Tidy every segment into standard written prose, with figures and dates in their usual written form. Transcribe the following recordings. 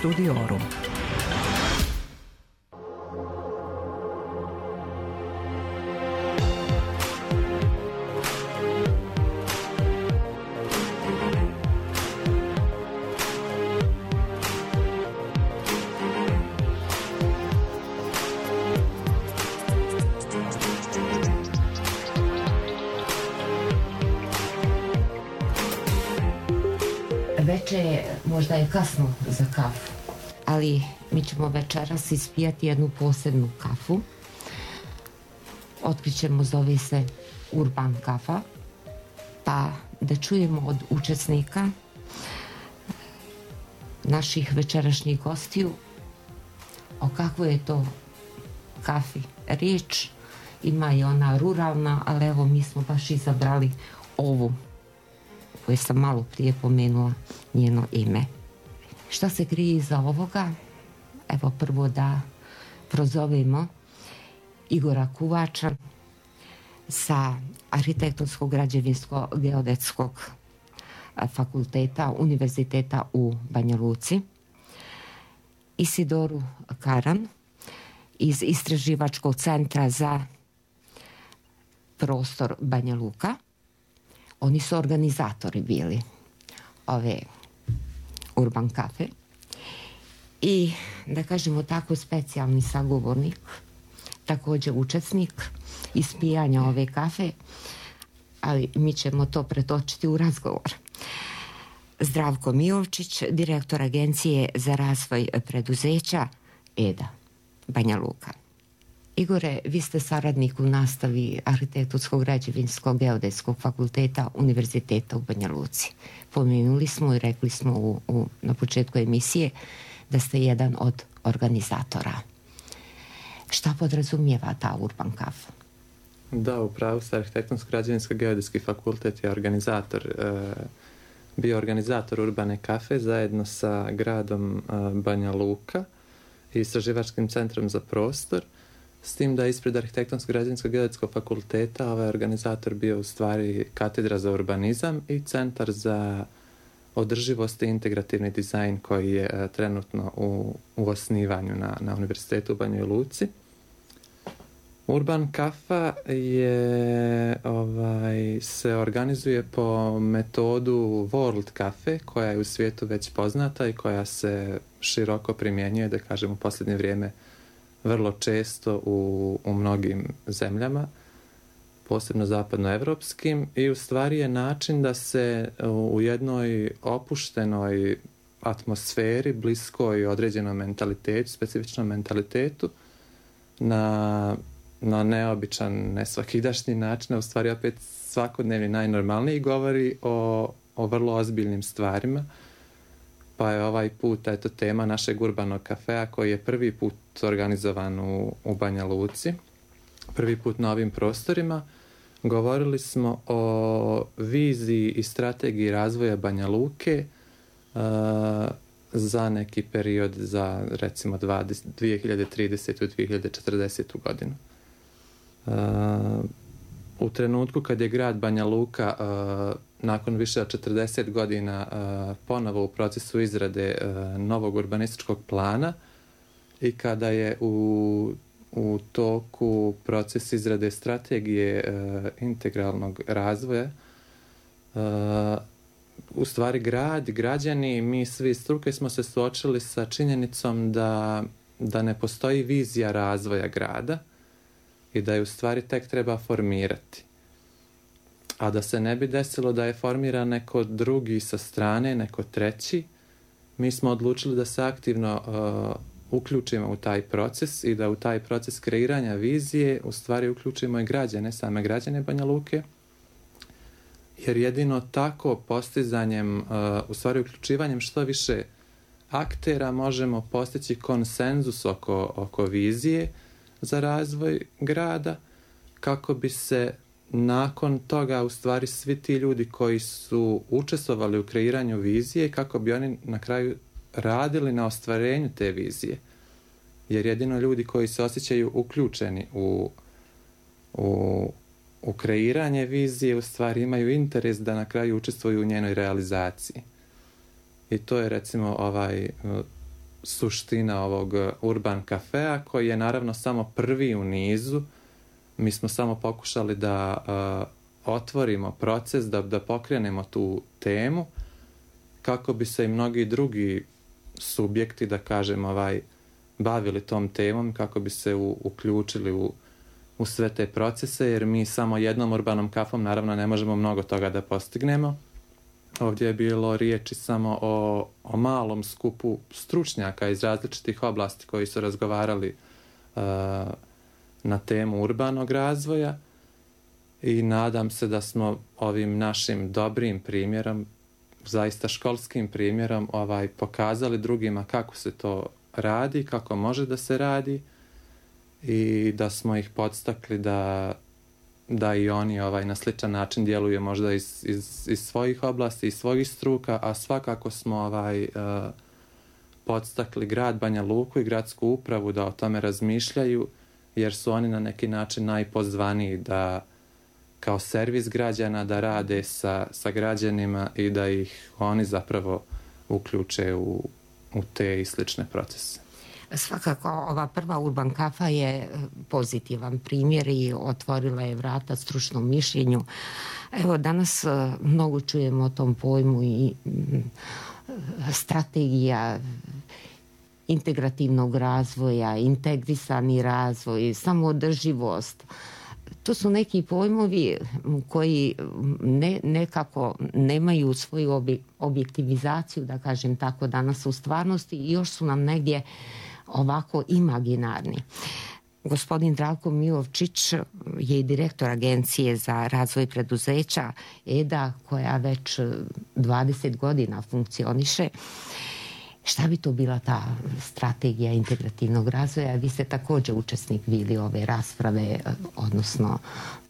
Studiorum. Veče možda je kasno za kafu, ali mi ćemo večeras ispijati jednu posebnu kafu. Otkrićemo, zove se Urban kafa, pa da čujemo od učesnika naših večerašnjih gostiju o kakvoj je to kafi riječ. Ima i ona ruralna, ali evo mi smo baš izabrali ovu koje sam malo prije pomenula njeno ime. Šta se krije iza ovoga? Evo prvo da prozovemo Igora Kuvača sa Arhitektonsko-građevinsko-geodetskog fakulteta Univerziteta u Banja Luci, Isidoru Karan iz Istraživačkog centra za prostor Banja Luka. Oni su organizatori bili ove Urban kafe i, da kažemo tako, specijalni sagovornik, također učesnik ispijanja ove kafe, ali mi ćemo to pretočiti u razgovor. Zdravko Mijovčić, direktor Agencije za razvoj preduzeća EDA Banja Luka. Igore, vi ste saradnik u nastavi Arhitektonsko-građevinskog-geodetskog fakulteta Univerziteta u Banja Luci. Pomenuli smo i rekli smo na početku emisije da ste jedan od organizatora. Šta podrazumijeva ta Urban kafa? Da, upravo se Arhitektonsko-građevinsko-geodetski fakultet je bio organizator Urbane kafe zajedno sa gradom Banja Luka i Istraživačkim centrom za prostor. S tim da ispred Arhitektonsko-građevinsko-geodetskog fakulteta ovaj organizator bio u stvari katedra za urbanizam i centar za održivost i integrativni dizajn koji je trenutno u osnivanju na Univerzitetu u Banjoj Luci. Urban kafa se organizuje po metodu World Cafe koja je u svijetu već poznata i koja se široko primjenjuje, da kažem, u posljednje vrijeme vrlo često u mnogim zemljama, posebno zapadnoevropskim, i u stvari je način da se u jednoj opuštenoj atmosferi, bliskoj određenom mentalitetu, specifičnom mentalitetu, na neobičan, nesvakidašnji način, u stvari opet svakodnevni, najnormalniji, govori o vrlo ozbiljnim stvarima. Pa je ovaj put tema našeg urbanog kafea koji je prvi put organizovan u Banja Luci, prvi put na ovim prostorima. Govorili smo o viziji i strategiji razvoja Banja Luke za neki period, za recimo 2030. i 2040. godinu. U trenutku kad je grad Banja Luka nakon više od 40 godina ponovo u procesu izrade novog urbanističkog plana i kada je u toku proces izrade strategije integralnog razvoja, u stvari građani, mi svi struke smo se suočili sa činjenicom da ne postoji vizija razvoja grada i da je u stvari tek treba formirati. A da se ne bi desilo da je formiran neko drugi sa strane, neko treći, mi smo odlučili da se aktivno uključimo u taj proces i da u taj proces kreiranja vizije u stvari uključimo i građane, same građane Banja Luke, jer jedino tako postizanjem, u stvari uključivanjem što više aktera možemo postići konsenzus oko vizije za razvoj grada, kako bi se nakon toga u stvari svi ti ljudi koji su učestvovali u kreiranju vizije, kako bi oni na kraju radili na ostvarenju te vizije. Jer jedino ljudi koji se osjećaju uključeni u kreiranje vizije u stvari imaju interes da na kraju učestvuju u njenoj realizaciji. I to je recimo suština ovog Urban Cafea, koji je naravno samo prvi u nizu. Mi smo samo pokušali da otvorimo proces, da pokrenemo tu temu, kako bi se i mnogi drugi subjekti, da kažem, bavili tom temom, kako bi se uključili u sve te procese, jer mi samo jednom urbanom kafom naravno ne možemo mnogo toga da postignemo. Ovdje je bilo riječi samo o malom skupu stručnjaka iz različitih oblasti koji su razgovarali na temu urbanog razvoja i nadam se da smo ovim našim dobrim primjerom, zaista školskim primjerom, pokazali drugima kako se to radi, kako može da se radi i da smo ih podstakli da i oni na sličan način djeluju možda iz svojih oblasti, iz svojih struka, a svakako smo podstakli grad Banja Luku i gradsku upravu da o tome razmišljaju, jer su oni na neki način najpozvaniji da kao servis građana da rade sa građanima i da ih oni zapravo uključe u te i slične procese. Svakako, ova prva Urban Kafa je pozitivan primjer i otvorila je vrata stručnom mišljenju. Evo, danas mnogo čujemo o tom pojmu i strategija integrativnog razvoja, integrisani razvoj, samoodrživost. To su neki pojmovi koji nekako nemaju svoju objektivizaciju, da kažem tako, danas u stvarnosti i još su nam negdje ovako imaginarni. Gospodin Zdravko Milovčić je i direktor Agencije za razvoj preduzeća EDA, koja već 20 godina funkcioniše. Šta bi to bila ta strategija integrativnog razvoja? Vi ste također učesnik bili ove rasprave, odnosno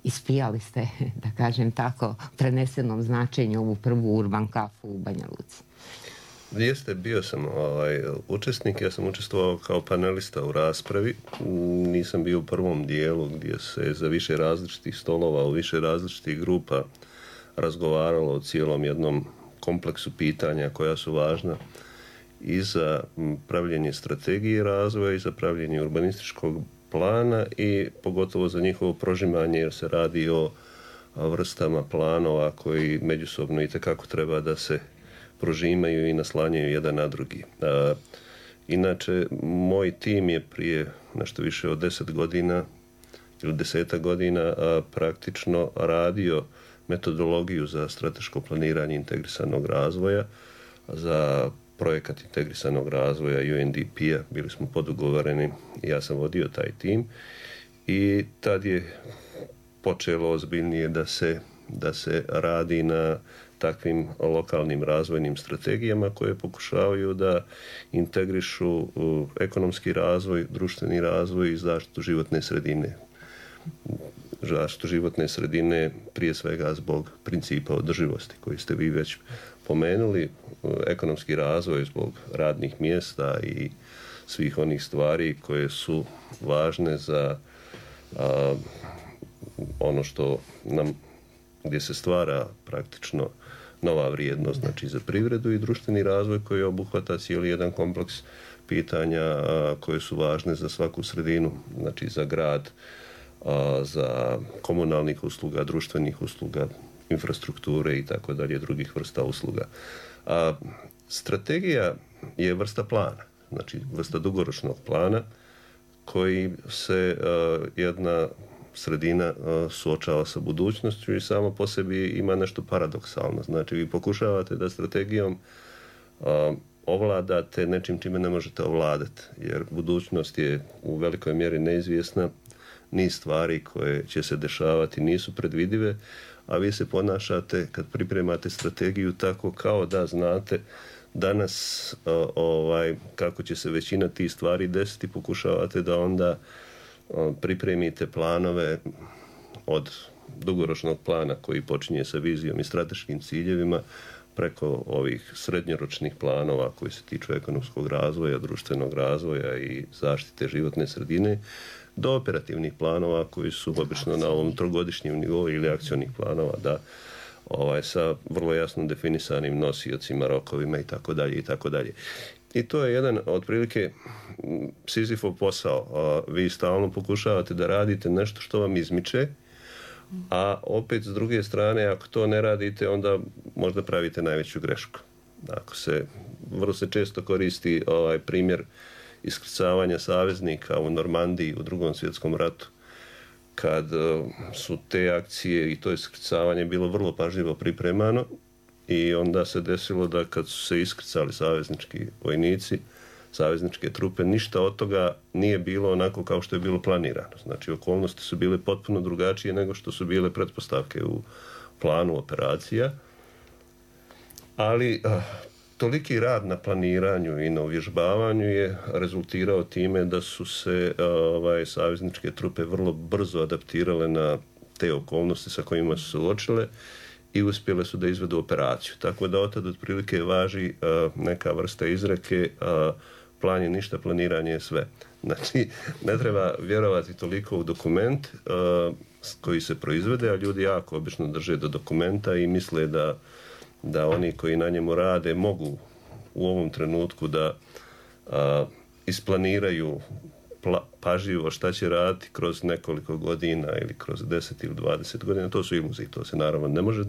ispijali ste, da kažem tako, prenesenom značenju ovu prvu Urban Kafu u Banja Luci. Jeste, bio sam učesnik, ja sam učestvovao kao panelista u raspravi, nisam bio u prvom dijelu gdje se za više različitih stolova, u više različitih grupa razgovaralo o cijelom jednom kompleksu pitanja koja su važna i za pravljenje strategije razvoja i za pravljenje urbanističkog plana i pogotovo za njihovo prožimanje, jer se radi o vrstama planova koji međusobno itekako treba da se prožimaju i naslanjaju jedan na drugi. Inače, moj tim je prije nešto više od 10 godina ili 10 godina praktično radio metodologiju za strateško planiranje integrisanog razvoja, za projekat integrisanog razvoja UNDP-a. Bili smo podugovoreni, ja sam vodio taj tim i tad je počelo ozbiljnije da se radi na takvim lokalnim razvojnim strategijama koje pokušavaju da integrišu ekonomski razvoj, društveni razvoj i zaštitu životne sredine. Zaštitu životne sredine prije svega zbog principa održivosti koji ste vi već pomenuli, ekonomski razvoj zbog radnih mjesta i svih onih stvari koje su važne za ono što nam, gdje se stvara praktično nova vrijednost, znači za privredu i društveni razvoj koji obuhvata cijeli jedan kompleks pitanja koje su važne za svaku sredinu, znači za grad, za komunalnih usluga, društvenih usluga, infrastrukture i tako dalje, drugih vrsta usluga. Strategija je vrsta plana, znači vrsta dugoročnog plana koji se jedna sredina suočava sa budućnošću i samo po sebi ima nešto paradoksalno. Znači vi pokušavate da strategijom ovladate nečim čime ne možete ovladati, jer budućnost je u velikoj mjeri neizvjesna, niz stvari koje će se dešavati nisu predvidive, a vi se ponašate kad pripremate strategiju tako kao da znate danas kako će se većina tih stvari desiti, pokušavate da onda pripremite planove od dugoročnog plana koji počinje sa vizijom i strateškim ciljevima preko ovih srednjoročnih planova koji se tiču ekonomskog razvoja, društvenog razvoja i zaštite životne sredine, do operativnih planova koji su obično na ovom trogodišnjem nivou ili akcionih planova sa vrlo jasno definisanim nosiocima, rokovima i tako dalje. I to je jedan otprilike Sizifov posao. Vi stalno pokušavate da radite nešto što vam izmiče, a opet s druge strane, ako to ne radite, onda možda pravite najveću grešku. Vrlo se često koristi primjer iskrcavanja saveznika u Normandiji u Drugom svjetskom ratu, kad su te akcije i to iskrcavanje bilo vrlo pažljivo pripremano i onda se desilo da kad su se iskrcali saveznički vojnici, savezničke trupe, ništa od toga nije bilo onako kao što je bilo planirano. Znači, okolnosti su bile potpuno drugačije nego što su bile pretpostavke u planu operacija, ali toliki rad na planiranju i na uvježbavanju je rezultirao time da su se savezničke trupe vrlo brzo adaptirale na te okolnosti sa kojima su se suočile i uspjele su da izvedu operaciju. Tako da od tada otprilike važi neka vrsta izreke, plan je ništa, planiranje je sve. Znači, ne treba vjerovati toliko u dokument koji se proizvede, a ljudi jako obično drže do dokumenta i misle da oni koji na njemu rade mogu u ovom trenutku da isplaniraju pažljivo šta će raditi kroz nekoliko godina ili kroz 10 ili 20 godina. To su iluzije, to se naravno ne može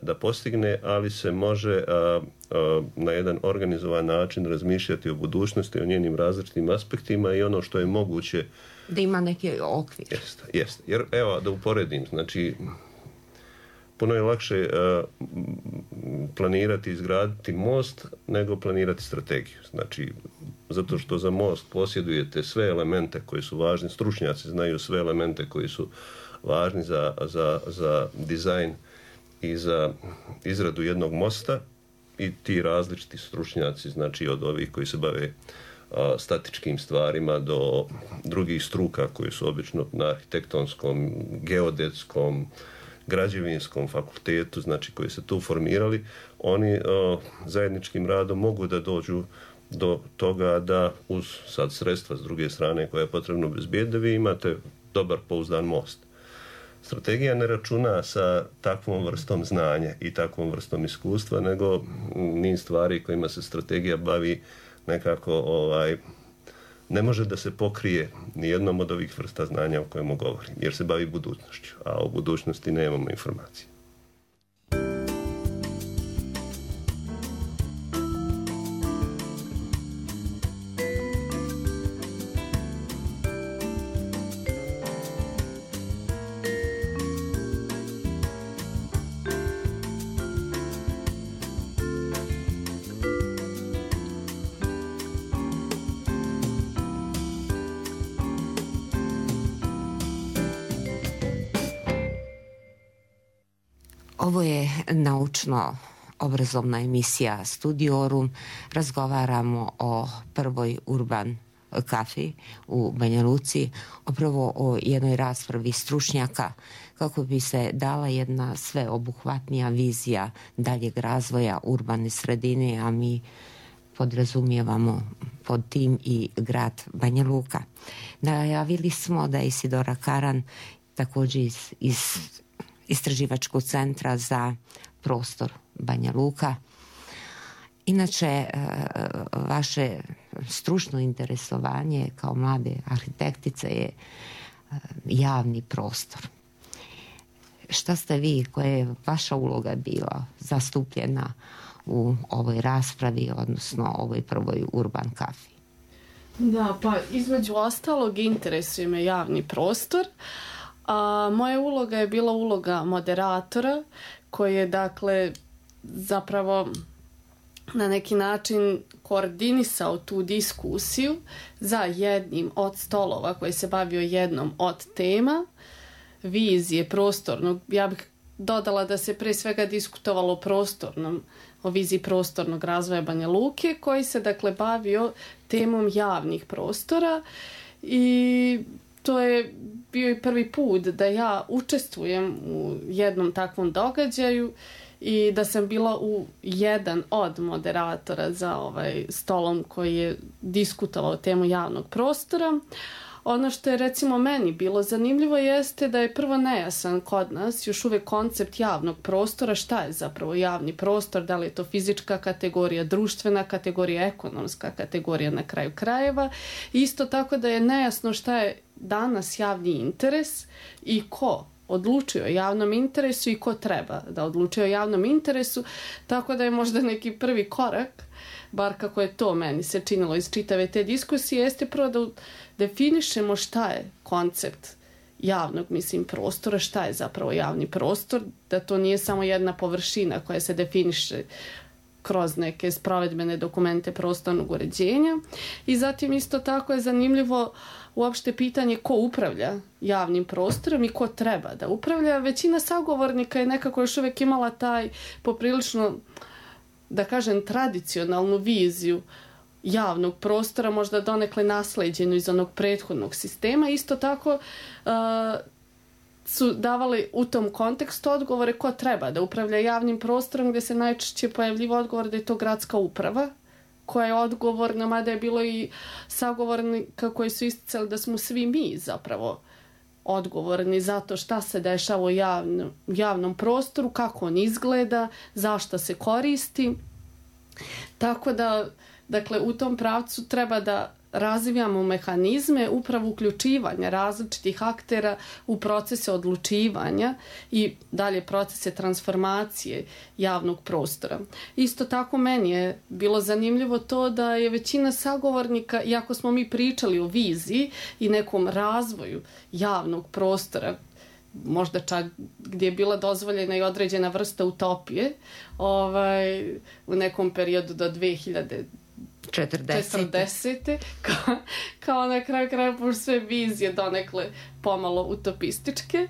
da postigne, ali se može na jedan organizovan način razmišljati o budućnosti, o njenim različitim aspektima i ono što je moguće da ima neki okvir. Jeste. Jer evo da uporedim, znači puno je lakše planirati i izgraditi most nego planirati strategiju. Znači, zato što za most posjedujete sve elemente koji su važni, stručnjaci znaju sve elemente koji su važni za dizajn i za izradu jednog mosta i ti različiti stručnjaci, znači od ovih koji se bave statičkim stvarima do drugih struka koji su obično na arhitektonskom, geodetskom, građevinskom fakultetu, znači koji se tu formirali, oni zajedničkim radom mogu da dođu do toga da uz sad sredstva s druge strane koje je potrebno obezbijediti, da vi imate dobar pouzdan most. Strategija ne računa sa takvom vrstom znanja i takvom vrstom iskustva, nego niz stvari kojima se strategija bavi nekako ne može da se pokrije ni jednom od ovih vrsta znanja o kojemu govorim, jer se bavi budućnošću, a o budućnosti nemamo informacije. Ovo je naučno-obrazovna emisija Studiorum. Razgovaramo o prvoj Urban kafi u Banja Luci, upravo o jednoj raspravi stručnjaka kako bi se dala jedna sveobuhvatnija vizija daljeg razvoja urbane sredine, a mi podrazumijevamo pod tim i grad Banja Luka. Najavili smo da je Isidora Karan također iz Istraživačkog centra za prostor Banja Luka. Inače, vaše stručno interesovanje kao mlade arhitektice je javni prostor. Šta ste vi, koja je vaša uloga bila zastupljena u ovoj raspravi, odnosno ovoj prvoj Urban kafi? Da, pa između ostalog interesuje me javni prostor. A moja uloga je bila uloga moderatora koji je dakle zapravo na neki način koordinisao tu diskusiju za jednim od stolova koji se bavio jednom od tema vizije prostornog. Ja bih dodala da se pre svega diskutovalo o viziji prostornog razvoja Banja Luke koji se dakle bavio temom javnih prostora i to je bio i prvi put da ja učestvujem u jednom takvom događaju i da sam bila jedan od moderatora za stolom koji je diskutovao temu javnog prostora. ono što je recimo meni bilo zanimljivo jeste da je prvo nejasan kod nas još uvijek koncept javnog prostora, šta je zapravo javni prostor, da li je to fizička kategorija, društvena kategorija, ekonomska kategorija na kraju krajeva. Isto tako da je nejasno šta je danas javni interes i ko odlučuje o javnom interesu i ko treba da odlučuje o javnom interesu, tako da je možda neki prvi korak, bar kako je to meni se činilo iz čitave te diskusije, jeste prvo da definišemo šta je koncept javnog, prostora, šta je zapravo javni prostor, da to nije samo jedna površina koja se definiše kroz neke sprovedbene dokumente prostornog uređenja. I zatim isto tako je zanimljivo uopšte pitanje ko upravlja javnim prostorom i ko treba da upravlja. Većina sagovornika je nekako još uvijek imala taj poprilično, da kažem, tradicionalnu viziju javnog prostora, možda donekle nasleđenu iz onog prethodnog sistema. Isto tako su davali u tom kontekstu odgovore ko treba da upravlja javnim prostorom, gdje se najčešće pojavljivo odgovor da je to gradska uprava koja je odgovorna, mada je bilo i sagovornika koji su isticali da smo svi mi zapravo odgovorni za to šta se dešava u javnom prostoru, kako on izgleda, zašto se koristi. Tako da, dakle, u tom pravcu treba da razvijamo mehanizme upravo uključivanja različitih aktera u procese odlučivanja i dalje procese transformacije javnog prostora. Isto tako meni je bilo zanimljivo to da je većina sagovornika, iako smo mi pričali o viziji i nekom razvoju javnog prostora, možda čak gdje je bila dozvoljena i određena vrsta utopije u nekom periodu do 2040. Kao na kraju kraja pošto sve vizije donekle pomalo utopističke.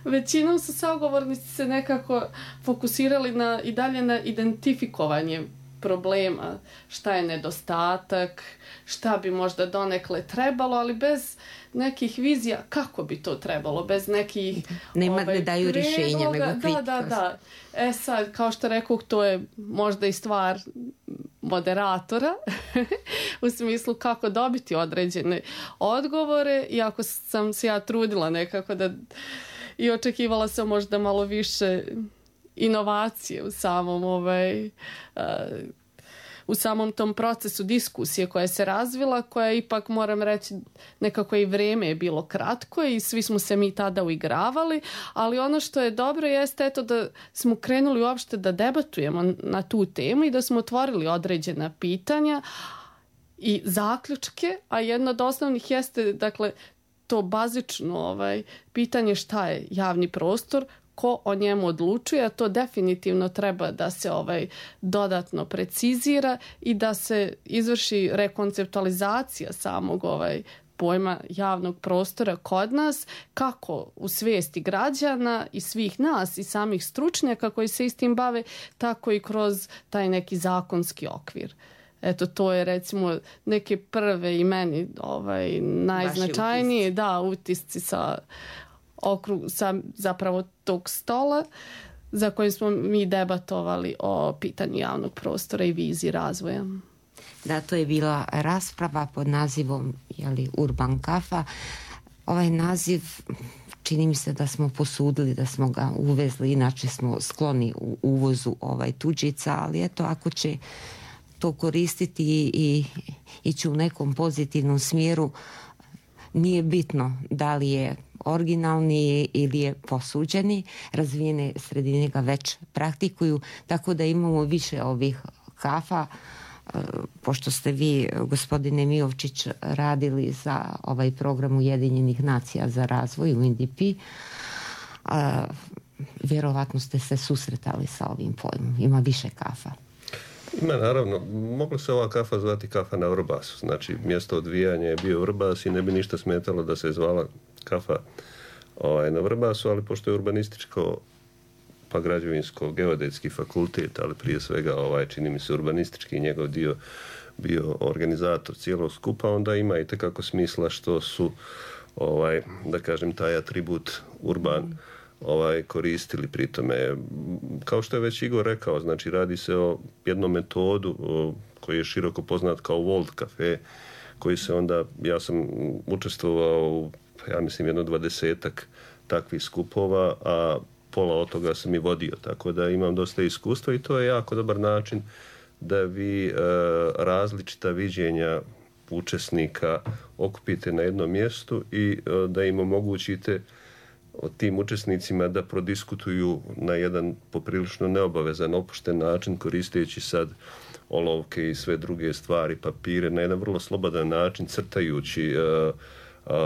Većinom su sagovornici se nekako fokusirali i dalje na identifikovanje problema, šta je nedostatak, šta bi možda donekle trebalo, ali bez nekih vizija kako bi to trebalo, bez nekih ne daju rješenja, nego kritika. Da. Sad, kao što rekao, to je možda i stvar moderatora u smislu kako dobiti određene odgovore, iako sam se ja trudila nekako da i očekivala sam možda malo više inovacije u samom tom procesu diskusije koja se razvila, koja ipak, moram reći, nekako i vrijeme je bilo kratko i svi smo se mi tada uigravali, ali ono što je dobro jeste da smo krenuli uopšte da debatujemo na tu temu i da smo otvorili određena pitanja i zaključke, a jedno od osnovnih jeste, dakle, to bazično pitanje šta je javni prostor, ko o njemu odlučuje, a to definitivno treba da se dodatno precizira i da se izvrši rekonceptualizacija samog pojma javnog prostora kod nas, kako u svijesti građana i svih nas i samih stručnjaka koji se istim bave, tako i kroz taj neki zakonski okvir. Eto, to je recimo neke prve i meni najznačajnije utisci sa zapravo tog stola za kojim smo mi debatovali o pitanju javnog prostora i viziji razvoja. Da, to je bila rasprava pod nazivom Urban Kafa. Ovaj naziv čini mi se da smo posudili, da smo ga uvezli, inače smo skloni u uvozu tuđica, ali eto, ako će to koristiti i ići u nekom pozitivnom smjeru, nije bitno da li je originalni ili je posuđeni, razvijene sredine ga već praktikuju, tako da imamo više ovih kafa. Pošto ste vi, gospodine Miovčić, radili za ovaj program Ujedinjenih nacija za razvoj UNDP, vjerovatno ste se susretali sa ovim pojmom. Ima više kafa. Ima, naravno. Mogla se ova kafa zvati kafa na Vrbasu. Znači, mjesto odvijanja je bio Vrbas i ne bi ništa smetalo da se zvala kafa na Vrbasu, ali pošto je urbanističko pa građevinsko-geodetski fakultet, ali prije svega čini mi se urbanistički njegov dio bio organizator cijelog skupa, onda ima i tekako smisla što su da kažem taj atribut urban koristili pri tome. Kao što je već Igor rekao, znači radi se o jednom metodu koji je široko poznat kao World Cafe, koji se onda, ja sam učestvovao u, ja mislim, 20 takvih skupova, a pola od toga sam i vodio, tako da imam dosta iskustva i to je jako dobar način da vi različita viđenja učesnika okupite na jednom mjestu i da im omogućite tim učesnicima da prodiskutuju na jedan poprilično neobavezan, opušten način, koristeći sad olovke i sve druge stvari, papire, na jedan vrlo slobodan način, crtajući,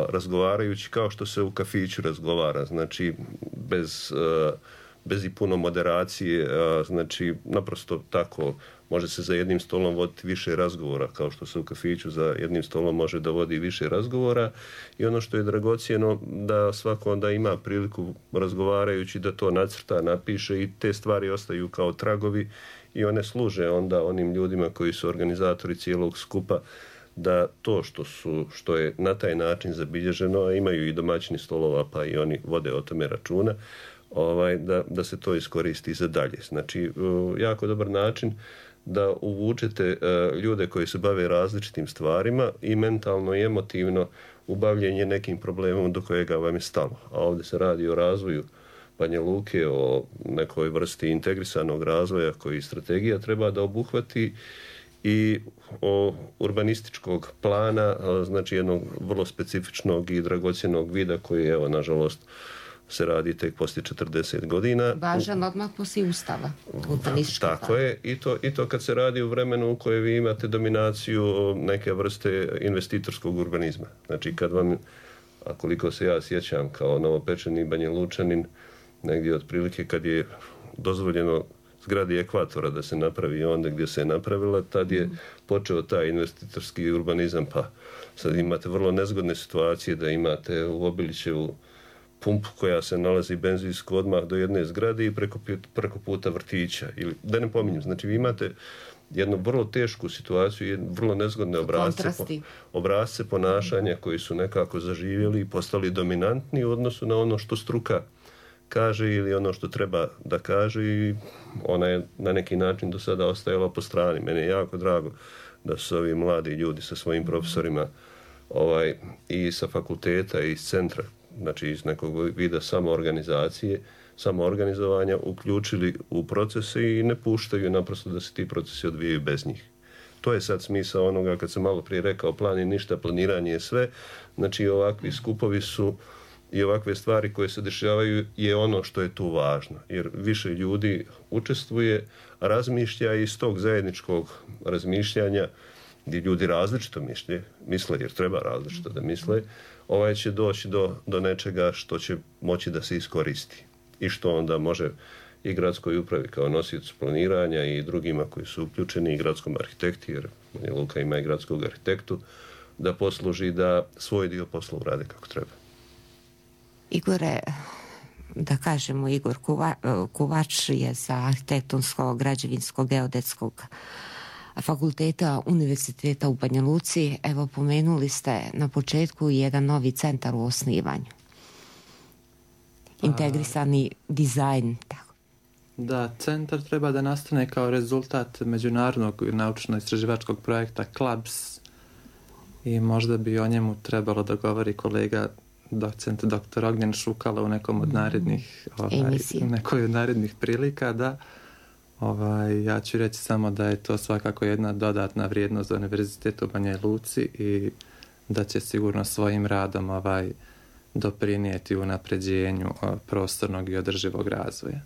razgovarajući kao što se u kafiću razgovara, znači bez i puno moderacije, znači naprosto tako može se za jednim stolom voditi više razgovora, kao što se u kafiću za jednim stolom može da vodi više razgovora i ono što je dragocjeno da svako onda ima priliku razgovarajući da to nacrta, napiše i te stvari ostaju kao tragovi i one služe onda onim ljudima koji su organizatori cijelog skupa da to što je na taj način zabilježeno, a imaju i domaćini stolova pa i oni vode o tome računa, da se to iskoristi za dalje. Znači, jako dobar način da uvučete ljude koji se bave različitim stvarima i mentalno i emotivno u bavljenje nekim problemom do kojega vam je stalo. A ovdje se radi o razvoju Banja Luke, o nekoj vrsti integrisanog razvoja koji strategija treba da obuhvati i o urbanističkog plana, znači jednog vrlo specifičnog i dragocjenog vida koji, evo, nažalost, se radi tek poslije 40 godina. Važan odmah poslije Ustava. Tako je. I to kad se radi u vremenu u kojem vi imate dominaciju neke vrste investitorskog urbanizma. Znači kad vam, a koliko se ja sjećam kao novopečeni Banja Lučanin, negdje otprilike kad je dozvoljeno zgradi Ekvatora da se napravi onda gdje se je napravila, tad je počeo taj investitorski urbanizam, pa sad imate vrlo nezgodne situacije da imate u Obilićevu pumpu koja se nalazi benzinsku odmah do jedne zgrade i preko puta vrtića. Ili, da ne pominjem, znači vi imate jednu vrlo tešku situaciju, vrlo nezgodne obrasce ponašanja koji su nekako zaživjeli i postali dominantni u odnosu na ono što struka kaže ili ono što treba da kaže i ona je na neki način do sada ostajala po strani. Meni je jako drago da su ovi mladi ljudi sa svojim profesorima i sa fakulteta i iz centra, znači iz nekog vida samoorganizovanja uključili u procese i ne puštaju naprosto da se ti procesi odvijaju bez njih. To je sad smisao onoga kad sam malo prije rekao plan je ništa, planiranje je sve. Znači ovakvi skupovi su i ovakve stvari koje se dešavaju je ono što je tu važno. Jer više ljudi učestvuje, razmišlja i iz tog zajedničkog razmišljanja gdje ljudi različito misle, jer treba različito da misle, će doći do nečega što će moći da se iskoristi. I što onda može i gradskoj upravi kao nosiocu planiranja i drugima koji su uključeni i gradskom arhitekti, jer Banja Luka ima i gradskog arhitektu, da posluži da svoj dio posla urade kako treba. Igore, da kažemo, Igor Kovač je sa arhitektonskog, građevinskog, geodetskog fakulteta Univerziteta u Banja Luci. Evo, pomenuli ste na početku jedan novi centar u osnivanju. Integrisani dizajn. Tako. Da, centar treba da nastane kao rezultat međunarodnog naučno-istraživačkog projekta CLABS i možda bi o njemu trebalo da govori kolega docent dr. Ognjen Šukala u nekom od nekoj od narednih prilika, da ja ću reći samo da je to svakako jedna dodatna vrijednost za Univerzitet u Banja Luci i da će sigurno svojim radom doprinijeti unapređenju prostornog i održivog razvoja.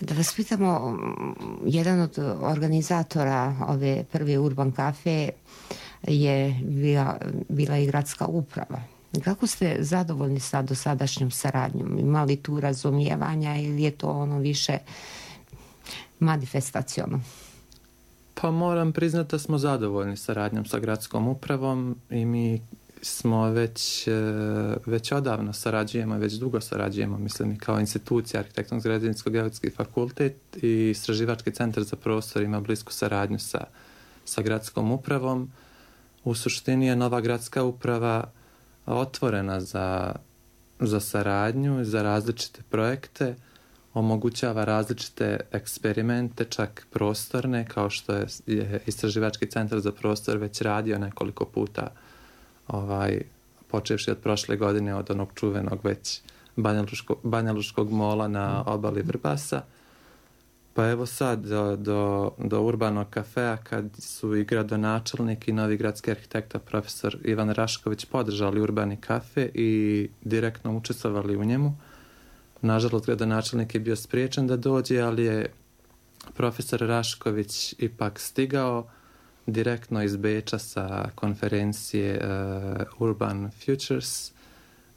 Da vas pitamo, jedan od organizatora ove prve Urban Cafe je bila i gradska uprava. Kako ste zadovoljni sa dosadašnjom saradnjom? Ima li tu razumijevanja ili je to ono više manifestaciono? Pa moram priznati da smo zadovoljni saradnjom sa gradskom upravom i mi smo već odavno sarađujemo, već dugo sarađujemo, mislim i kao institucija Arhitektonsko građevinsko geodetski fakultet i Istraživački centar za prostor ima blisku saradnju sa gradskom upravom. U suštini je nova gradska uprava otvorena za saradnju, za različite projekte. omogućava različite eksperimente, čak prostorne, kao što je Istraživački centar za prostor već radio nekoliko puta, počevši od prošle godine, od onog čuvenog već Banjalučkog mola na obali Vrbasa. Pa evo sad do urbanog kafea, kad su i gradonačelnik i novi gradski arhitekta profesor Ivan Rašković podržali urbani kafe i direktno učestvovali u njemu. Nažalost, gradonačelnik je bio spriječen da dođe, ali je profesor Rašković ipak stigao direktno iz Beča sa konferencije Urban Futures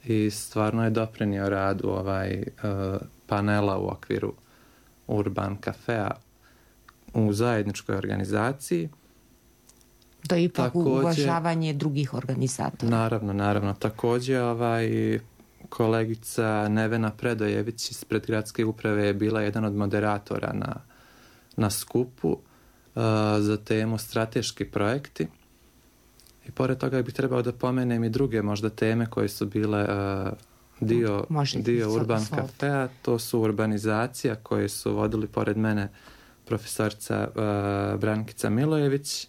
i stvarno je doprinio radu panela u okviru Urban kafea u zajedničkoj organizaciji. To je ipak uvažavanje drugih organizatora. Naravno. Također kolegica Nevena Predojević ispred gradske uprave je bila jedan od moderatora na skupu za temu strateški projekti. I pored toga bih trebao da pomenem i druge možda teme koje su bile dio Urban kafea. To su urbanizacija koje su vodili pored mene profesorica Brankica Milojević,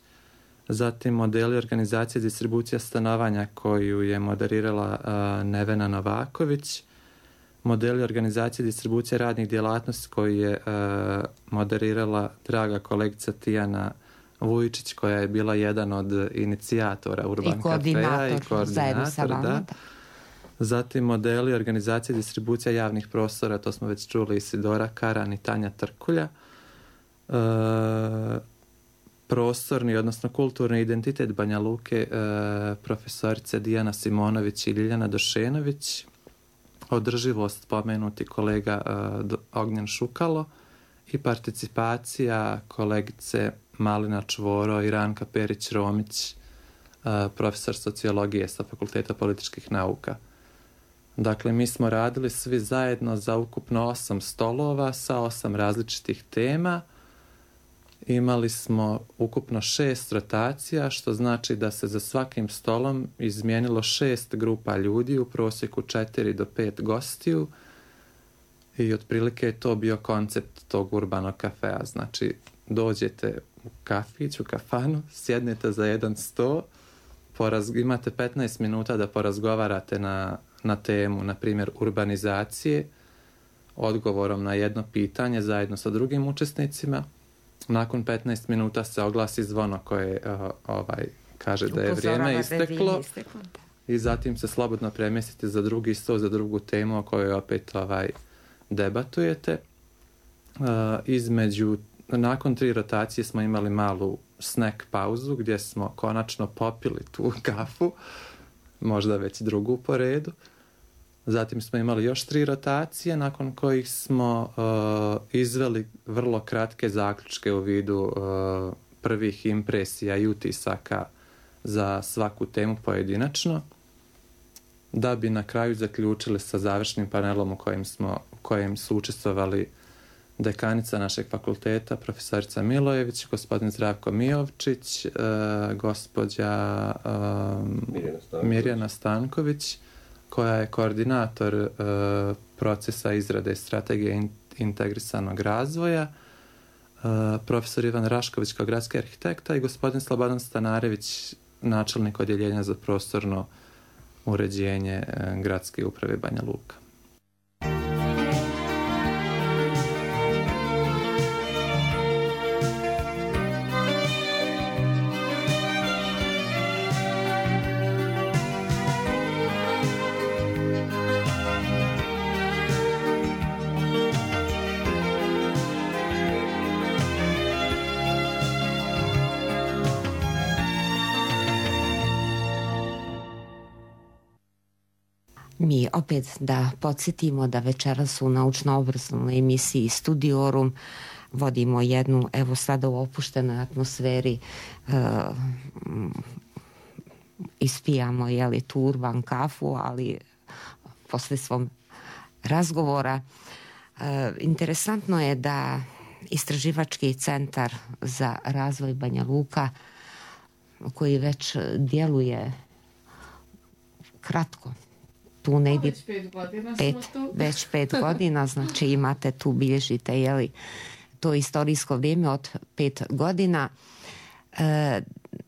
zatim modeli organizacije i distribucija stanovanja koju je moderirala Nevena Novaković, modeli organizacije i distribucije radnih djelatnosti koju je moderirala draga kolegica Tijana Vujičić, koja je bila jedan od inicijatora Urban kafea i koordinator. Da. Zatim modeli organizacije i distribucija javnih prostora, to smo već čuli, Isidora Karan i Tanja Trkulja. Prostorni, odnosno kulturni identitet Banja Luke, profesorice Dijana Simonović i Ljiljana Došenović. Održivost spomenuti kolega Ognjen Šukalo i participacija kolegice Malina Čvoro i Ranka Perić-Romić, profesor sociologije sa Fakulteta političkih nauka. Dakle, mi smo radili svi zajedno za ukupno 8 stolova sa 8 različitih tema. Imali smo ukupno 6 rotacija, što znači da se za svakim stolom izmijenilo 6 grupa ljudi, u prosjeku 4 do 5 gostiju, i otprilike je to bio koncept tog urbanog kafea. Znači, dođete u kafić, u kafanu, sjednete za jedan sto, imate 15 minuta da porazgovarate na temu, na primjer, urbanizacije, odgovorom na jedno pitanje zajedno sa drugim učesnicima. Nakon 15 minuta se oglasi zvono koje kaže da je vrijeme isteklo i zatim se slobodno premjestite za drugi sto, za drugu temu o kojoj opet debatujete. Nakon 3 rotacije smo imali malu snack pauzu gdje smo konačno popili tu kafu, možda već drugu po redu. Zatim smo imali još 3 rotacije nakon kojih smo izveli vrlo kratke zaključke u vidu prvih impresija i utisaka za svaku temu pojedinačno, da bi na kraju zaključili sa završnim panelom u kojem su učestvovali dekanica našeg fakulteta, profesorica Milojević, gospodin Zdravko Mijovčić, gospođa Mirjana Stanković, koja je koordinator procesa izrade strategije integrisanog razvoja, profesor Ivan Rašković kao gradski arhitekta i gospodin Slobodan Stanarević, načelnik odjeljenja za prostorno uređenje gradske uprave Banja Luka. Mi opet da podsjetimo da večeras u naučno-obrazovnoj emisiji Studiorum vodimo jednu, evo sada u opuštenoj atmosferi, ispijamo tu urban kafu, ali posle svom razgovora interesantno je da Istraživački centar za razvoj Banja Luka, koji već djeluje kratko, tu negdje Već 5 godina smo tu. Već 5 godina, znači imate tu, bilježite, jeli, to istorijsko vrijeme od 5 godina,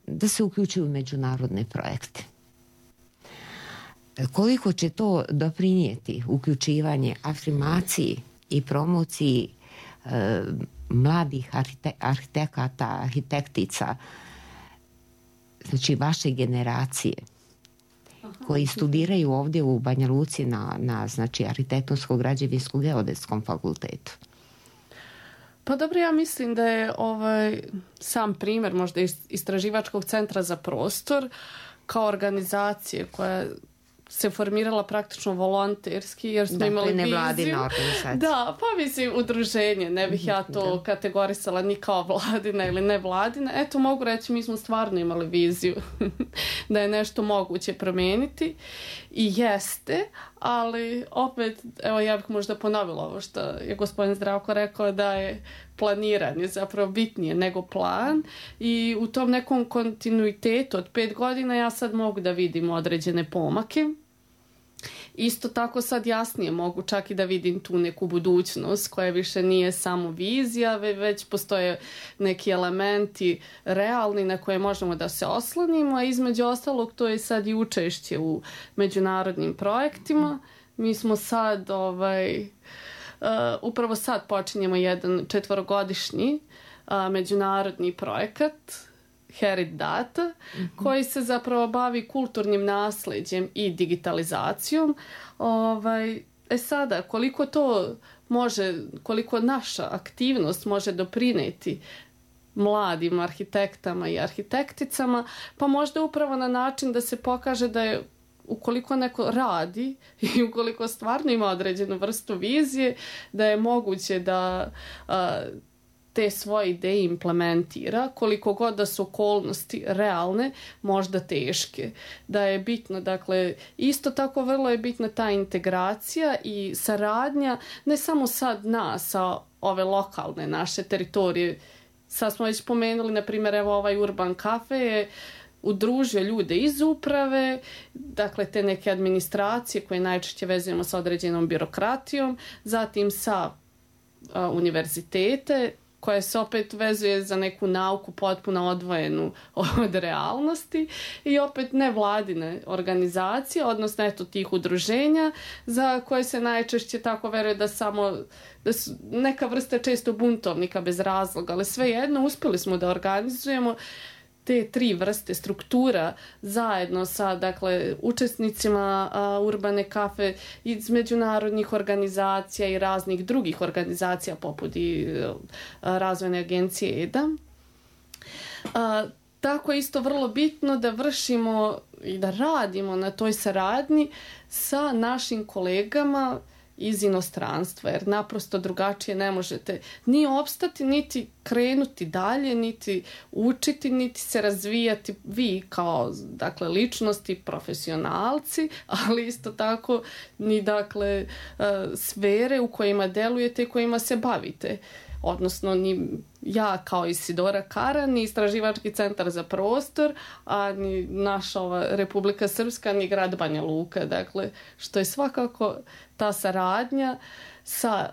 da se uključuju u međunarodne projekte. Koliko će to doprinijeti uključivanje, afirmaciji i promociji mladih arhitekata, arhitektica, znači vaše generacije, koji studiraju ovdje u Banja Luci na znači, arhitektonsko-građevinsko-geodetskom fakultetu? Pa dobro, ja mislim da je sam primjer možda Istraživačkog centra za prostor kao organizacije koja se formirala praktično volonterski jer smo imali viziju. Da, pa mislim udruženje, ne bih ja to kategorisala ni kao vladina ili ne vladina. Eto, mogu reći, mi smo stvarno imali viziju da je nešto moguće promijeniti i jeste, ali opet, evo ja bih možda ponovila ovo što je gospodin Zdravko rekao, da je planiranje zapravo bitnije nego plan i u tom nekom kontinuitetu od 5 godina ja sad mogu da vidim određene pomake. Isto tako sad jasnije mogu čak i da vidim tu neku budućnost koja više nije samo vizija, već postoje neki elementi realni na koje možemo da se oslonimo, a između ostalog to je sad i učešće u međunarodnim projektima. Mi smo sad upravo sad počinjemo jedan 4-godišnji međunarodni projekat Herit Data, koji se zapravo bavi kulturnim nasljeđem i digitalizacijom. Sada, koliko naša aktivnost može doprinijeti mladim arhitektama i arhitekticama, pa možda upravo na način da se pokaže da je ukoliko neko radi i ukoliko stvarno ima određenu vrstu vizije, da je moguće da te svoje ideje implementira, koliko god da su okolnosti realne, možda teške. Da je bitno, dakle, isto tako vrlo je bitna ta integracija i saradnja, ne samo sad nas, sa ove lokalne naše teritorije. Sad smo već spomenuli, na primjer, evo ovaj Urban Cafe je udružio ljude iz uprave, dakle te neke administracije koje najčešće vezujemo sa određenom birokratijom, zatim sa univerzitete, koja se opet vezuje za neku nauku potpuno odvojenu od realnosti i opet nevladine organizacije, odnosno eto tih udruženja za koje se najčešće tako veruje da su neka vrsta često buntovnika bez razloga, ali svejedno uspjeli smo da organizujemo te 3 vrste struktura zajedno sa, dakle, učesnicima Urbane kafe iz međunarodnih organizacija i raznih drugih organizacija poput i razvojne agencije EDA. Tako je isto vrlo bitno da vršimo i da radimo na toj saradnji sa našim kolegama iz inostranstva, jer naprosto drugačije ne možete ni opstati, niti krenuti dalje, niti učiti, niti se razvijati vi kao, dakle, ličnosti, profesionalci, ali isto tako ni, dakle, sfere u kojima delujete i kojima se bavite. Odnosno ni ja kao Isidora Kara, ni Istraživački centar za prostor, a ni naša Republika Srpska, ni grad Banja Luka. Dakle, što je svakako ta saradnja sa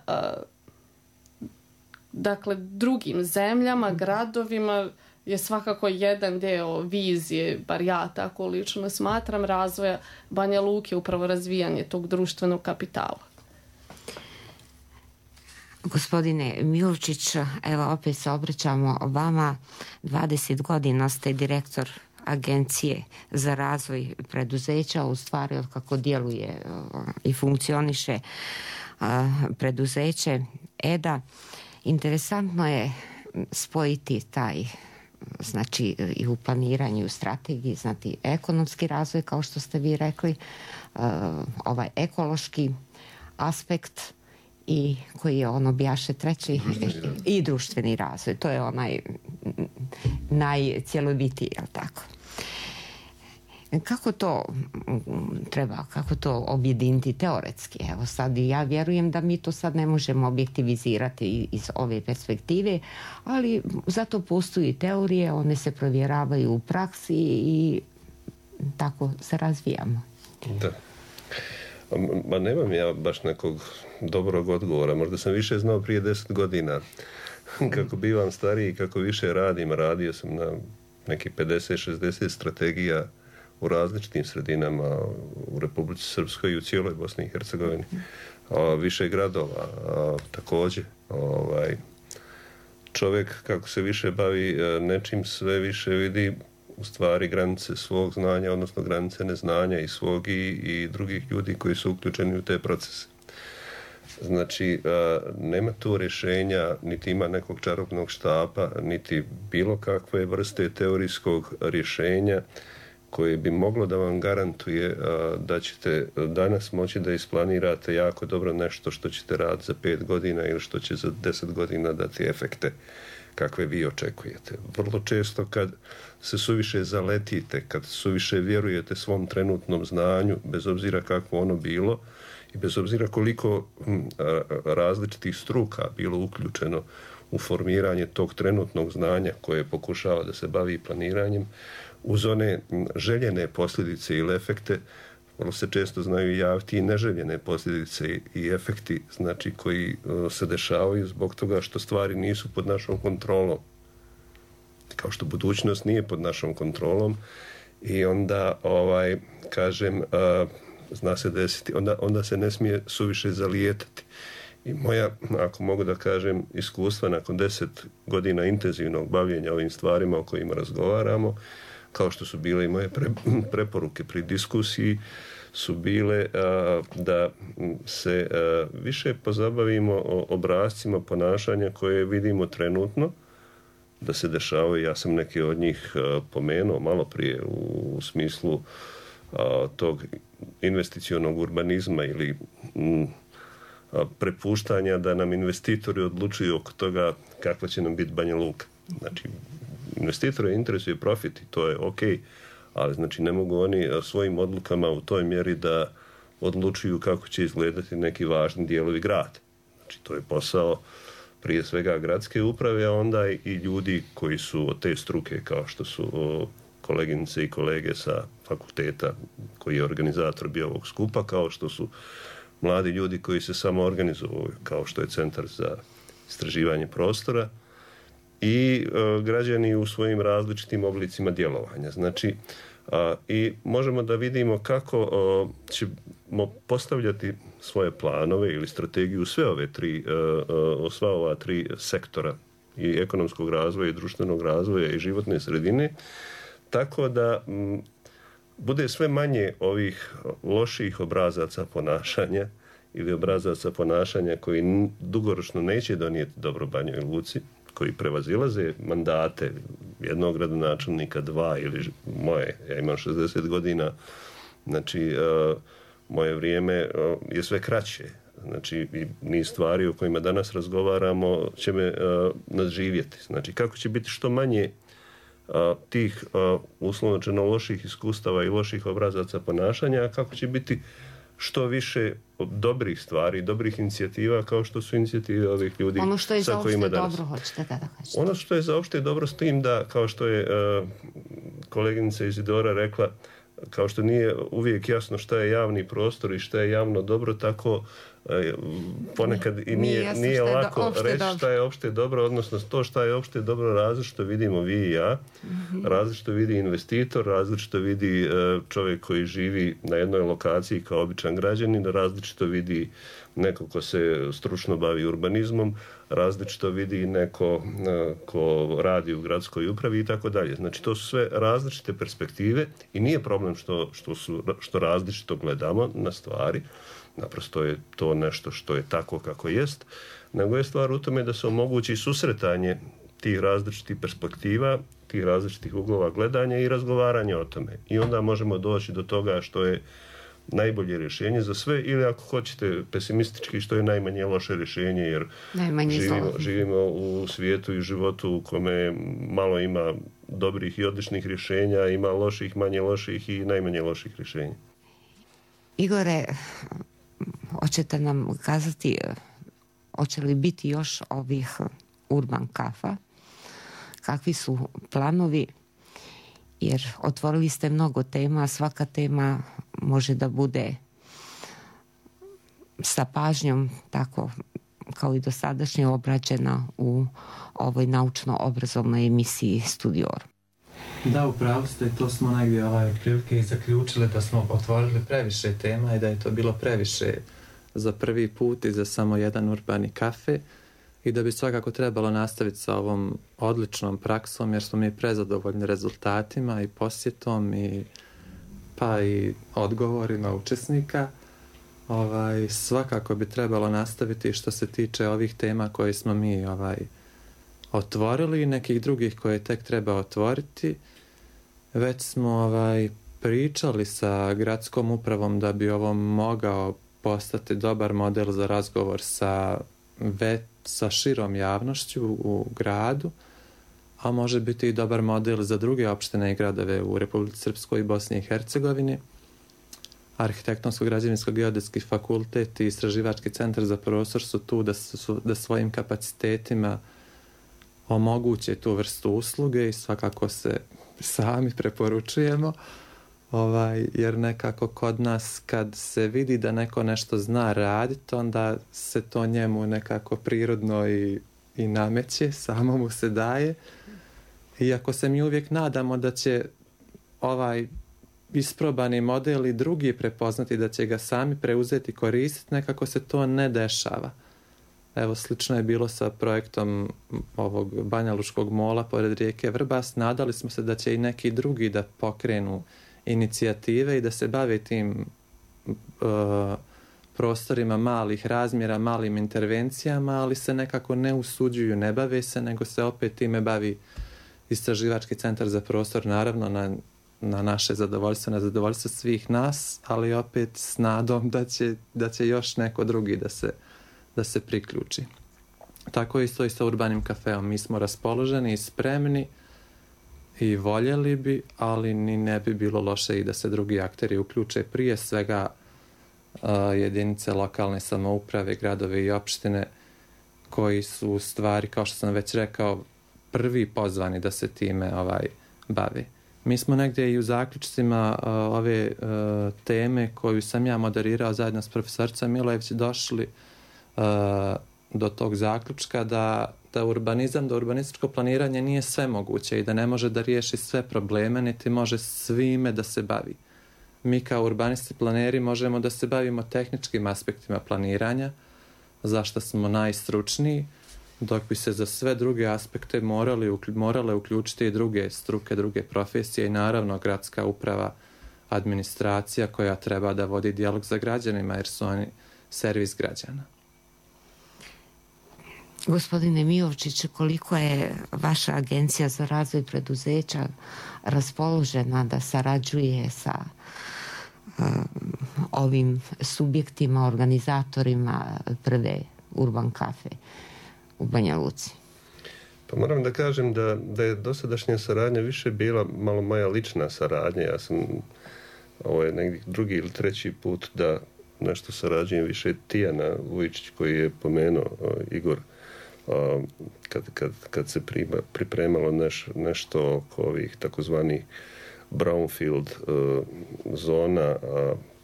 dakle, drugim zemljama, gradovima je svakako jedan deo vizije, bar ja tako lično smatram, razvoja Banja Luke, upravo razvijanje tog društvenog kapitala. Gospodine Milovčić, evo opet se obraćamo vama. 20 godina ste direktor Agencije za razvoj preduzeća, u stvari od kako djeluje i funkcioniše preduzeće EDA. Interesantno je spojiti taj, znači i u planiranju, u strategiji, znači ekonomski razvoj, kao što ste vi rekli, ovaj ekološki aspekt i koji je ono bijaše treći i društveni razvoj. To je onaj najcjelovitiji, jel tako? Kako to treba, kako to objediniti teoretski? Evo sad ja vjerujem da mi to sad ne možemo objektivizirati iz ove perspektive, ali zato postoji teorije, one se provjeravaju u praksi i tako se razvijamo. Da. Ma nemam ja baš nekog dobrog odgovora. Možda sam više znao prije 10 godina. Kako bivam stariji, kako više radim, radio sam na nekih 50-60 strategija u različitim sredinama u Republici Srpskoj i u cijeloj Bosni i Hercegovini. Više gradova također. Čovjek kako se više bavi nečim, sve više vidi u stvari granice svog znanja, odnosno granice neznanja i svog i drugih ljudi koji su uključeni u te procese. Znači, nema tu rješenja, niti ima nekog čarobnog štapa, niti bilo kakve vrste teorijskog rješenja koje bi moglo da vam garantuje da ćete danas moći da isplanirate jako dobro nešto što ćete raditi za 5 godina ili što će za 10 godina dati efekte kakve vi očekujete. Vrlo često kad se suviše zaletite, kad suviše vjerujete svom trenutnom znanju, bez obzira kako ono bilo i bez obzira koliko različitih struka bilo uključeno u formiranje tog trenutnog znanja koje pokušava da se bavi planiranjem, uz one željene posljedice ili efekte, vrlo se često znaju javiti i neželjene posljedice i efekti, znači koji se dešavaju zbog toga što stvari nisu pod našom kontrolom. Kao što budućnost nije pod našom kontrolom i onda, kažem, zna se desiti, onda se ne smije suviše zalijetati. I moja, ako mogu da kažem, iskustva nakon 10 godina intenzivnog bavljenja ovim stvarima o kojima razgovaramo, kao što su bile i moje preporuke pri diskusiji, su bile da se više pozabavimo o obrascima ponašanja koje vidimo trenutno, da se dešavaju. Ja sam neke od njih pomenuo malo prije u smislu tog investicionog urbanizma ili prepuštanja da nam investitori odlučuju oko toga kakva će nam biti Banja Luka. Znači, investitore interesuje profit i to je ok, ali znači ne mogu oni svojim odlukama u toj mjeri da odlučuju kako će izgledati neki važni dijelovi grada. Znači, to je posao prije svega gradske uprave, a onda i ljudi koji su od te struke, kao što su koleginice i kolege sa fakulteta koji je organizator bio ovog skupa, kao što su mladi ljudi koji se samo organizuju, kao što je Centar za istraživanje prostora i građani u svojim različitim oblicima djelovanja. Znači, i možemo da vidimo kako ćemo postavljati svoje planove ili strategiju sva ova tri sektora i ekonomskog razvoja i društvenog razvoja i životne sredine, tako da bude sve manje ovih loših obrazaca ponašanja ili obrazaca ponašanja koji dugoročno neće donijeti dobro Banjoj Luci, koji prevazilaze mandate jednog gradonačelnika, 2 ili moje. Ja imam 60 godina, znači moje vrijeme je sve kraće. Znači, i niz stvari o kojima danas razgovaramo će me nadživjeti. Znači, kako će biti što manje tih uslovno loših iskustava i loših obrazaca ponašanja, a kako će biti što više dobrih stvari, dobrih inicijativa, kao što su inicijative ovih ljudi sa kojima danas. Ono što je za opšte dobro, hoćete da kažete. Ono što je za opšte dobro s tim da, kao što je koleginica Izidora rekla, kao što nije uvijek jasno šta je javni prostor i šta je javno dobro, tako ponekad i nije lako reći šta je opšte dobro, odnosno to šta je opšte dobro različito vidimo vi i ja, različito vidi investitor, različito vidi čovjek koji živi na jednoj lokaciji kao običan građanin, različito vidi neko ko se stručno bavi urbanizmom, različito vidi neko ko radi u gradskoj upravi i tako dalje. Znači, to su sve različite perspektive i nije problem što različito gledamo na stvari, naprosto je to nešto što je tako kako jest, nego je stvar u tome da se omogući susretanje tih različitih perspektiva, tih različitih uglova gledanja i razgovaranja o tome. I onda možemo doći do toga što je najbolje rješenje za sve, ili ako hoćete pesimistički, što je najmanje loše rješenje, jer živimo u svijetu i životu u kome malo ima dobrih i odličnih rješenja, ima loših, manje loših i najmanje loših rješenja. Igore, hoćete nam kazati, hoće li biti još ovih urban kafa? Kakvi su planovi? Jer otvorili ste mnogo tema, svaka tema može da bude sa pažnjom, tako kao i dosadašnje, obrađena u ovoj naučno-obrazovnoj emisiji Studior. Da, upravo ste, to smo negdje otprilike i zaključili da smo otvorili previše tema i da je to bilo previše za prvi put i za samo jedan urbani kafe i da bi svakako trebalo nastaviti sa ovom odličnom praksom jer smo mi prezadovoljni rezultatima i posjetom pa i odgovorima učesnika. Svakako bi trebalo nastaviti što se tiče ovih tema koje smo mi otvorili i nekih drugih koje tek treba otvoriti. Već smo pričali sa gradskom upravom da bi ovo mogao postati dobar model za razgovor sa širom javnošću u gradu, a može biti i dobar model za druge opštine i gradove u Republici Srpskoj i Bosni i Hercegovini. Arhitektonsko-građevinsko-geodetski fakultet i Istraživački centar za prostor su tu da svojim kapacitetima omoguće tu vrstu usluge i svakako se sami preporučujemo, jer nekako kod nas kad se vidi da neko nešto zna raditi, onda se to njemu nekako prirodno i nameće, samo mu se daje. Iako se mi uvijek nadamo da će isprobani model i drugi prepoznati, da će ga sami preuzeti, koristiti, nekako se to ne dešava. Evo, slično je bilo sa projektom ovog Banjalučkog mola pored rijeke Vrbas. Nadali smo se da će i neki drugi da pokrenu inicijative i da se bave tim prostorima malih razmjera, malim intervencijama, ali se nekako ne usuđuju, ne bave se, nego se opet time bavi Istraživački centar za prostor, naravno na naše zadovoljstvo, na zadovoljstvo svih nas, ali opet s nadom da će još neko drugi da se priključi. Tako je isto i sa urbanim kafeom. Mi smo raspoloženi i spremni i voljeli bi, ali ni ne bi bilo loše i da se drugi akteri uključe, prije svega jedinice lokalne samouprave, gradove i opštine, koji su u stvari, kao što sam već rekao, prvi pozvani da se time bave. Mi smo negdje i u zaključcima ove teme koju sam ja moderirao zajedno s profesoricom Milojević došli do tog zaključka da urbanizam, da urbanističko planiranje nije sve moguće i da ne može da riješi sve probleme, niti može svime da se bavi. Mi kao urbanisti planeri možemo da se bavimo tehničkim aspektima planiranja, zašto smo najstručniji, dok bi se za sve druge aspekte morale uključiti i druge struke, druge profesije i naravno gradska uprava, administracija koja treba da vodi dijalog sa građanima jer su oni servis građana. Gospodine Miovčić, koliko je vaša agencija za razvoj preduzeća raspoložena da sarađuje sa ovim subjektima, organizatorima prve Urban Cafe u Banja Luci? Pa moram da kažem da je dosadašnja saradnja više bila malo moja lična saradnja. Ja sam, ovo je negdje drugi ili treći put da nešto sarađujem više Tijana Vujičić koji je pomenuo Igor kad se pripremalo nešto oko ovih takozvanih brownfield zona,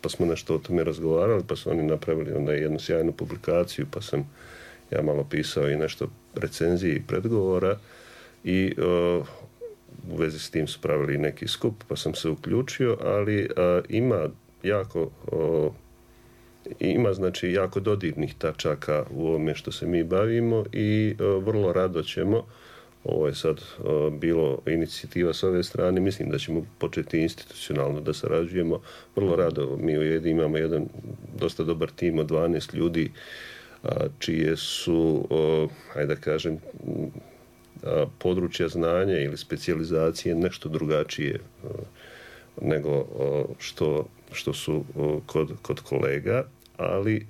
pa smo nešto o tome razgovarali, pa su oni napravili onda jednu sjajnu publikaciju, pa sam ja malo pisao i nešto recenzije i predgovora i u vezi s tim su pravili neki skup, pa sam se uključio, ali ima znači jako dodirnih tačaka u ovome što se mi bavimo i vrlo rado ćemo, ovo je sad bilo inicijativa s ove strane, mislim da ćemo početi institucionalno da sarađujemo, vrlo rado. Mi u Jedi imamo jedan dosta dobar tim od 12 ljudi čije su, hajde da kažem, područja znanja ili specijalizacije nešto drugačije nego što su kod kolega, ali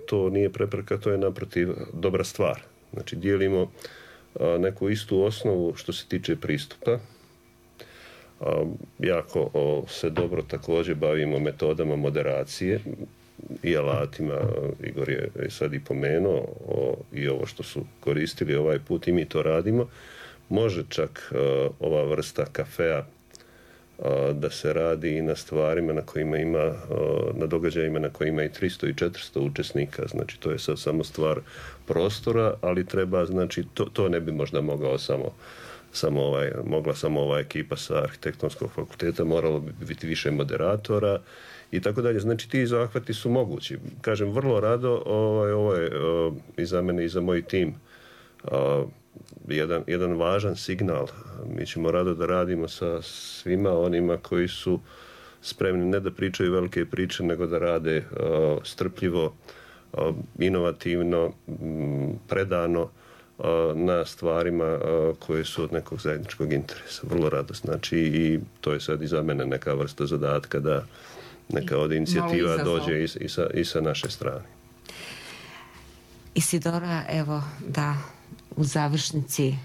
to nije prepreka, to je naprotiv dobra stvar. Znači, dijelimo neku istu osnovu što se tiče pristupa. Jako se dobro također bavimo metodama moderacije i alatima. Igor je sad i pomenuo i ovo što su koristili ovaj put i mi to radimo. Može čak ova vrsta kafea da se radi i na stvarima na kojima ima, na događajima na kojima i 300 i 400 učesnika, znači to je sad samo stvar prostora, ali treba, znači to ne bi možda mogao mogla samo ova ekipa sa arhitektonskog fakulteta, moralo bi biti više moderatora i tako dalje. Znači ti zahvati su mogući. Kažem, vrlo rado, ovo je i za mene i za moj tim jedan važan signal. Mi ćemo rado da radimo sa svima onima koji su spremni ne da pričaju velike priče, nego da rade strpljivo, inovativno, predano na stvarima koje su od nekog zajedničkog interesa. Vrlo rado. Znači i to je sad i za mene neka vrsta zadatka da neka od inicijativa dođe i sa naše strane. Isidora, evo da u završnici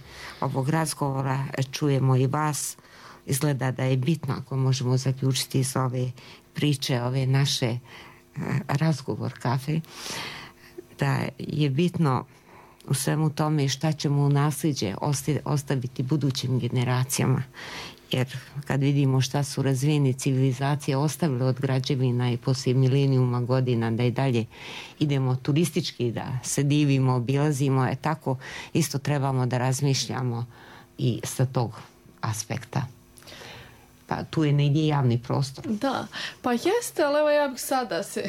ovog razgovora čujemo i vas. Izgleda da je bitno, ako možemo zaključiti iz ove priče, ove naše razgovor kafe, da je bitno u svemu tome šta ćemo u nasljeđe ostaviti budućim generacijama. Jer kad vidimo šta su razvijene civilizacije ostavile od građevina i poslije milenijuma godina, da i dalje idemo turistički, da se divimo, obilazimo, tako isto trebamo da razmišljamo i sa tog aspekta. Pa tu je negdje javni prostor. Da, pa jeste, ali evo ja bih sada se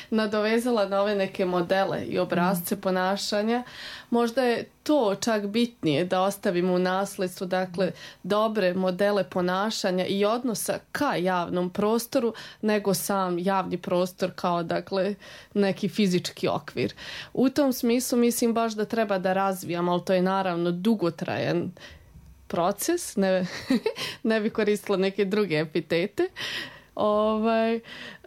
nadovezala na ove neke modele i obrasce ponašanja. Možda je to čak bitnije da ostavimo u nasljedstvu, dakle, dobre modele ponašanja i odnosa ka javnom prostoru, nego sam javni prostor kao, dakle, neki fizički okvir. U tom smislu mislim baš da treba da razvijamo, ali to je naravno dugotrajan proces, ne bi koristila neke druge epitete,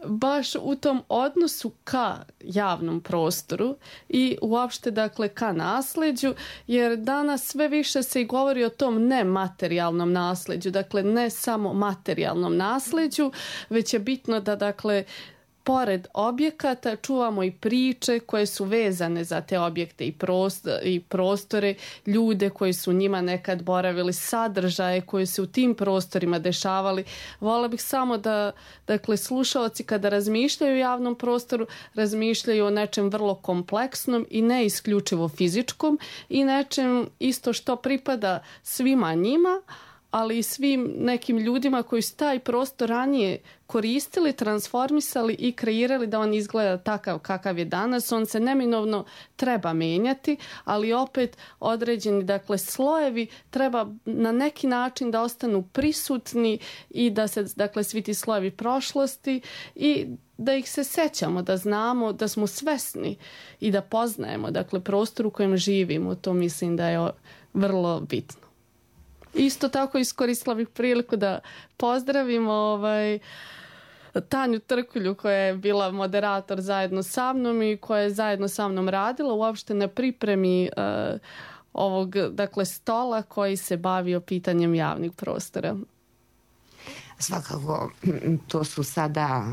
baš u tom odnosu ka javnom prostoru i uopšte, dakle, ka nasljeđu, jer danas sve više se i govori o tom nematerijalnom nasljeđu, dakle ne samo materijalnom nasljeđu, već je bitno da, dakle, pored objekata čuvamo i priče koje su vezane za te objekte i prostore, ljude koji su njima nekad boravili, sadržaje koji se u tim prostorima dešavali. Vola bih samo da, dakle, slušaoci kada razmišljaju o javnom prostoru, razmišljaju o nečem vrlo kompleksnom i ne isključivo fizičkom i nečem isto što pripada svima njima, ali i svim nekim ljudima koji su taj prostor ranije koristili, transformisali i kreirali da on izgleda takav kakav je danas. On se neminovno treba menjati, ali opet određeni, dakle, slojevi treba na neki način da ostanu prisutni i da se, dakle, svi ti slojevi prošlosti i da ih se sećamo, da znamo, da smo svesni i da poznajemo, dakle, prostor u kojem živimo. To mislim da je vrlo bitno. Isto tako iskoristila bih priliku da pozdravimo Tanju Trkulju koja je bila moderator zajedno sa mnom i koja je zajedno sa mnom radila uopšte na pripremi ovog, dakle, stola koji se bavio pitanjem javnih prostora. Svakako, to su sada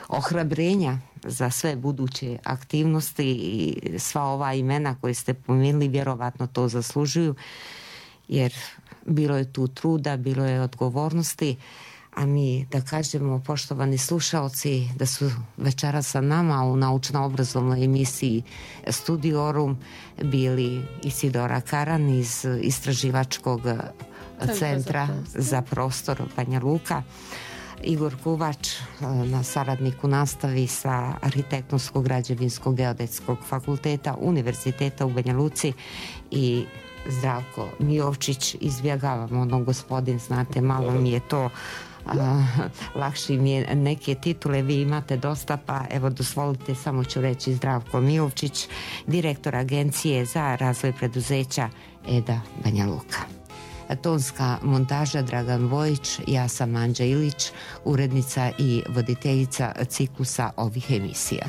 ohrabrenja za sve buduće aktivnosti i sva ova imena koje ste pomenuli vjerovatno to zaslužuju, jer bilo je tu truda, bilo je odgovornosti, a mi da kažemo, poštovani slušaoci, da su večera sa nama u naučno-obrazovnoj emisiji Studiorum bili Isidora Karan iz Istraživačkog centra za prostor Banja Luka, Igor Kuvač, saradnik u nastavi sa Arhitektonsko-građevinskog geodetskog fakulteta Univerziteta u Banja Luci, i Zdravko Mijovčić, izbjegavam ono gospodin, znate, malo mi je to lakše mi je neke titule, vi imate dosta, pa evo dozvolite, samo ću reći Zdravko Mijovčić, direktor Agencije za razvoj preduzeća EDA Banja Luka. Tonska montaža Dragan Vojić, ja sam Anđa Ilić, urednica i voditeljica ciklusa ovih emisija.